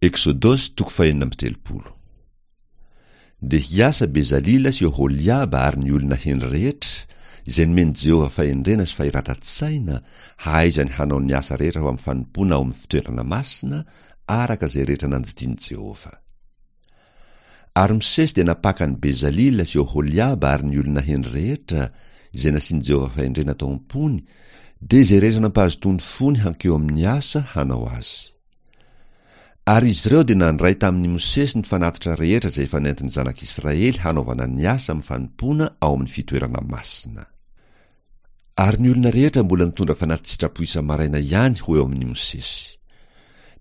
Eksodosy toko fahenina amby 30. Dia hiasa Bezalila sy Oholiaba ary ny olona hendry rehetra, izay nomen'i Jehovah fahendrena sy fahiratan-tsaina, hahaizany hanao ny asa rehetra ho amin'ny fanompoana ao amin'ny fitoerana masina, araka izay rehetra nandidian'i Jehovah. Ary Mosesy dia nampaka an'i Bezalila sy Oholiaba ary ny olona hendry rehetra, izay nasian'i Jehovah fahendrena tao am-pony, dia izay rehetra nampahazotoany fony hankeo amin'ny asa hanao azy. Ary izy ireo dia nandray tamin'i Mosesy ny fanatitra rehetra izay efa nentin'ny zanak'Israely hanaovana ny asa amin'ny fanompoana ao amin'ny fitoerana masina. Ary ny olona rehetra mbola nitondra fanati-tsitrapo isa-maraina ihany ho eo amin'i Mosesy.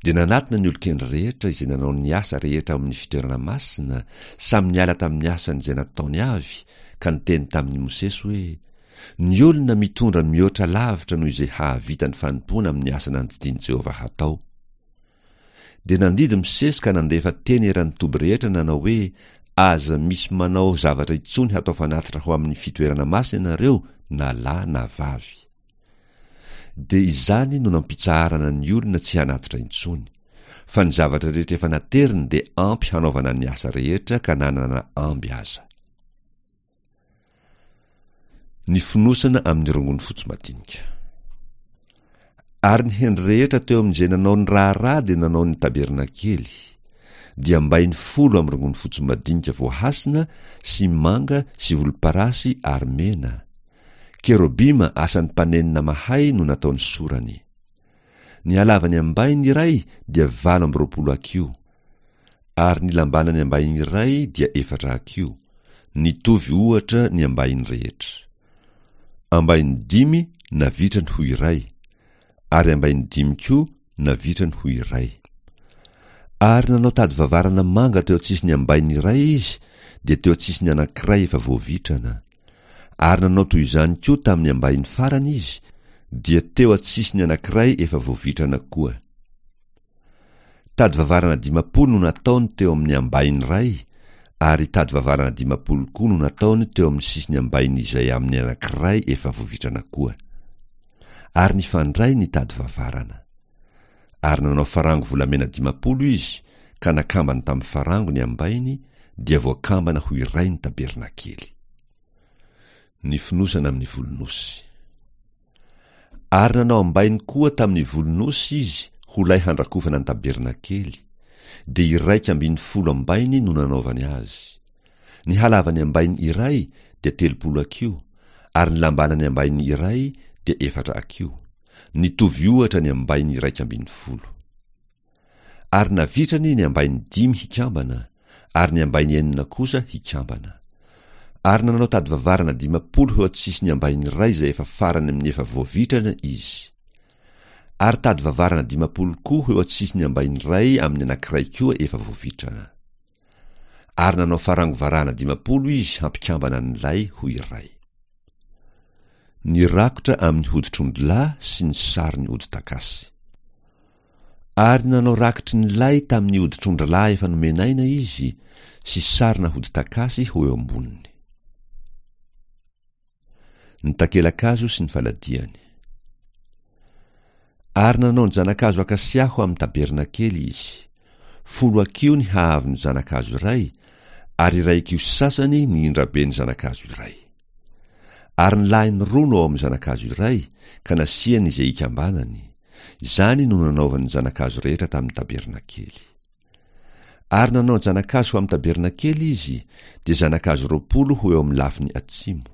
Dia nanatona ny olon-kendry rehetra izay nanao ny asa rehetra ao amin'ny fitoerana masina, samy niala tamin'ny asany izay nataony avy, ka niteny tamin'i Mosesy hoe, Ny olona mitondra mihoatra lavitra noho izay hahavita ny fanompoana amin'ny asa nandidian'i Jehovah hatao. Dia nandidy Mosesy ka nandefa teny eran'ny toby rehetra nanao hoe, Aza misy manao zavatra intsony hatao fanatitra ho amin'ny fitoerana masina ianareo na lahy na vavy. Dia izany no nampitsaharana ny olona tsy hanatitra intsony. Fa ny zavatra rehetra efa nateriny dia ampy hanaovana ny asa rehetra ka nanana amby aza. Ny fonosana amin'ny rongony fotsy madinika. Ary ny hendry rehetra teo amin'izay nanao ny raharaha dia nanao ny tabernakely, dia ambainy folo amin'ny rongony fotsy madinika voahasina sy manga sy volomparasy ary mena. Kerobima asan'ny mpanenona mahay no nataony sorany. Ny halavan'ny ambainy iray dia 28 hakiho, ary ny lambanan'ny ambahiny iray dia efatra hakiho, nitovy ohatra ny ambahiny rehetra. Ambahiny dimy navitrany ho iray, ary ambahiny dimy koa navitrany ho iray. Ary nanao tady vavarana manga teo an-tsisin'ny ambahiny iray izy, dia teo an-tsisin'ny anankiray efa voavitrana. Ary nanao toy izany koa tamin'ny ambahiny farany izy, dia teo an-tsisin'ny anankiray efa voavitrana koa. Tady vavarana 50 no nataony teo amin'ny ambahiny iray, ary tady vavarana 50 koa no nataony teo amin'ny sisin'ny ambahiny izay amin'ny anankiray efa voavitrana koa. Ary nifandray ny tady vavarana. Ary nanao farango volamena 50 izy, ka nakambany tamin'ny farango ny ambahiny, dia voakambana ho iray ny tabernakely. Ny fonosana amin'ny volon'osy. Ary nanao ambainy koa tamin'ny volon'osy izy ho lay handrakofana ny tabernakely, dia 11 ambainy no nanaovany azy. Ny halavan'ny ambainy iray dia 30 hakiho, ary ny lambanan'ny ambainy iray dia efatra hakiho. Nitovy ohatra ny ambainy 11. Ary navitrany ny ambainy dimy hikambana, ary ny ambainy enina kosa hikambana. Ary nanao tady vavarana 50 eo an-tsisin'ny ambainy iray izay efa farany amin'ny efa voavitrana izy. Ary tady vavarana 50 koa ho eo an-tsisin'ny ambainy iray amin'ny anankiray koa efa voavitrana. Ary nanao farango varahana 50 izy hampikambana ny lay ho iray. Ny rakotra amin'ny hoditr'ondrilahy sy ny sarin'ny hodi-takasy. Ary nanao rakitry ny lay tamin'ny hoditr'ondrilahy efa nomenaina izy sy sarina hodi-takasy ho eo amboniny. Ny takelakazo sy ny faladiany. Ary nanao ny zanakazo akasia ho amin'ny tabernakely izy. Folo hakiho ny haavon'ny zanakazo iray, ary iray hakiho sasany ny indraben'ny zanakazo iray. Ary ny lahiny roa no ao amin'ny zanakazo iray, ka nasiany izay ikambanany. Izany no nanaovany ny zanakazo rehetra tamin'ny tabernakely. Ary nanao zanakazo ho amin'ny tabernakely izy, dia zanakazo 20 ho eo amin'ny lafiny atsimo.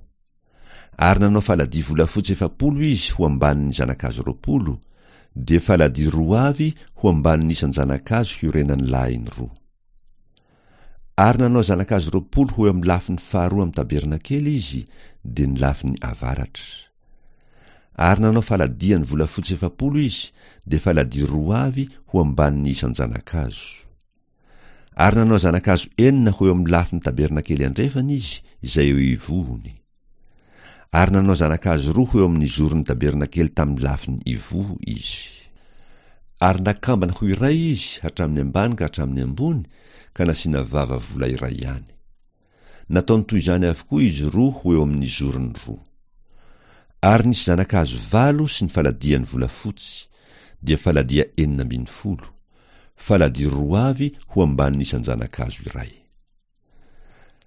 Ary nanao faladia volafotsy 40 izy ho ambanin'ny zanakazo 20, dia faladia roa avy ho ambanin'ny isan-janakazo hiorenan'ny lahiny roa. Ary nanao zanakazo 20 ho eo amin'ny lafiny faharoa amin'ny tabernakely izy, dia ny lafiny avaratra. Ary nanao faladiany volafotsy 40 izy, dia faladia roa avy ho ambanin'ny isan-janakazo. Ary nanao zanakazo enina ho eo amin'ny lafiny tabernakely andrefana izy, izay eo ivohony. Ary nanao zanakazo roa ho eo amin'ny zoron'ny tabernakely tamin'ny lafiny ivoho izy. Ary nakambana ho iray izy hatramin'ny ambany ka hatramin'ny ambony, ka nasiana vava vola iray ihany. Nataony toy izany avokoa izy roa ho eo amin'ny zorony roa. Ary nisy zanakazo valo sy ny faladiany volafotsy, dia faladia 16. Faladia roa avy ho ambanin'ny isan-janakazo iray.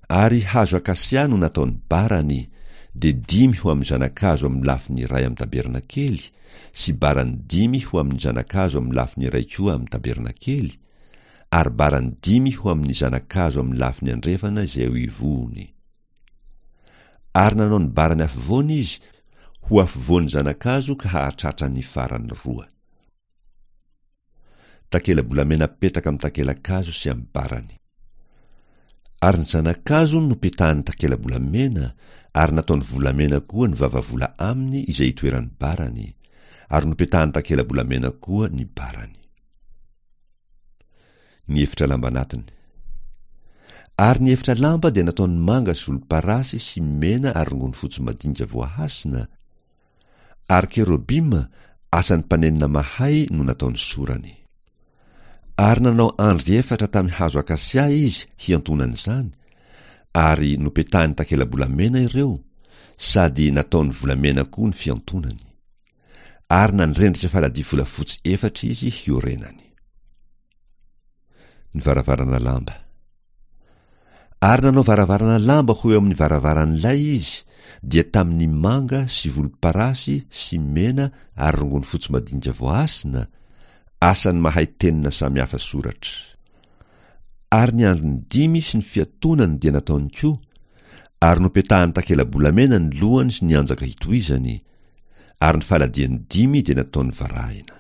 Ary hazo akasia no nataony barany, dia dimy ho amin'ny zanakazo amin'ny lafiny iray amin'ny tabernakely, sy barany dimy ho amin'ny zanakazo amin'ny lafiny iray koa amin'ny tabernakely, ary barany dimy ho amin'ny zanakazo amin'ny lafiny andrefana izay eo ivohony. Ary nanao ny barany afovoany izy ho afovoan'ny zanakazo ka hahatratra ny farany roa. Takela-bolamena petaka amin'ny takela-kazo sy amin'ny barany. Ary ny zana-kazo nopetahany takela-bolamena, ary nataony volamena koa ny vavavola aminy izay itoeran'ny barany, ary nopetahany takela-bolamena koa ny barany. Ny efitra lamba anatiny. Ary ny efitra lamba dia nataony manga sy volomparasy sy mena ary rongony fotsy madinika voahasina, Ary kerobima, asan'ny mpanenona mahay no nataony sorany. Ary nanao andry efatra tamin'ny hazo akasia izy hiantonana izany, ary nopetahiny takela-bolamena ireo, sady nataony volamena koa ny fiantonany. Ary nandrendrika faladia volafotsy efatra izy hiorenany. Ny varavarana lamba. Ary nanao varavarana lamba ho eo amin'ny varavaran'ilay izy, dia tamin'ny manga sy volomparasy sy mena ary rongony fotsy madinika voahasina, asan'ny mahay tenona samy hafa soratra. Ary ny andriny dimy sy ny fiatonany dia nataony koa, ary nopetahany takela-bolamena ny lohany sy ny anjaka hitohizany, ary ny faladiany dimy dia nataony varahina.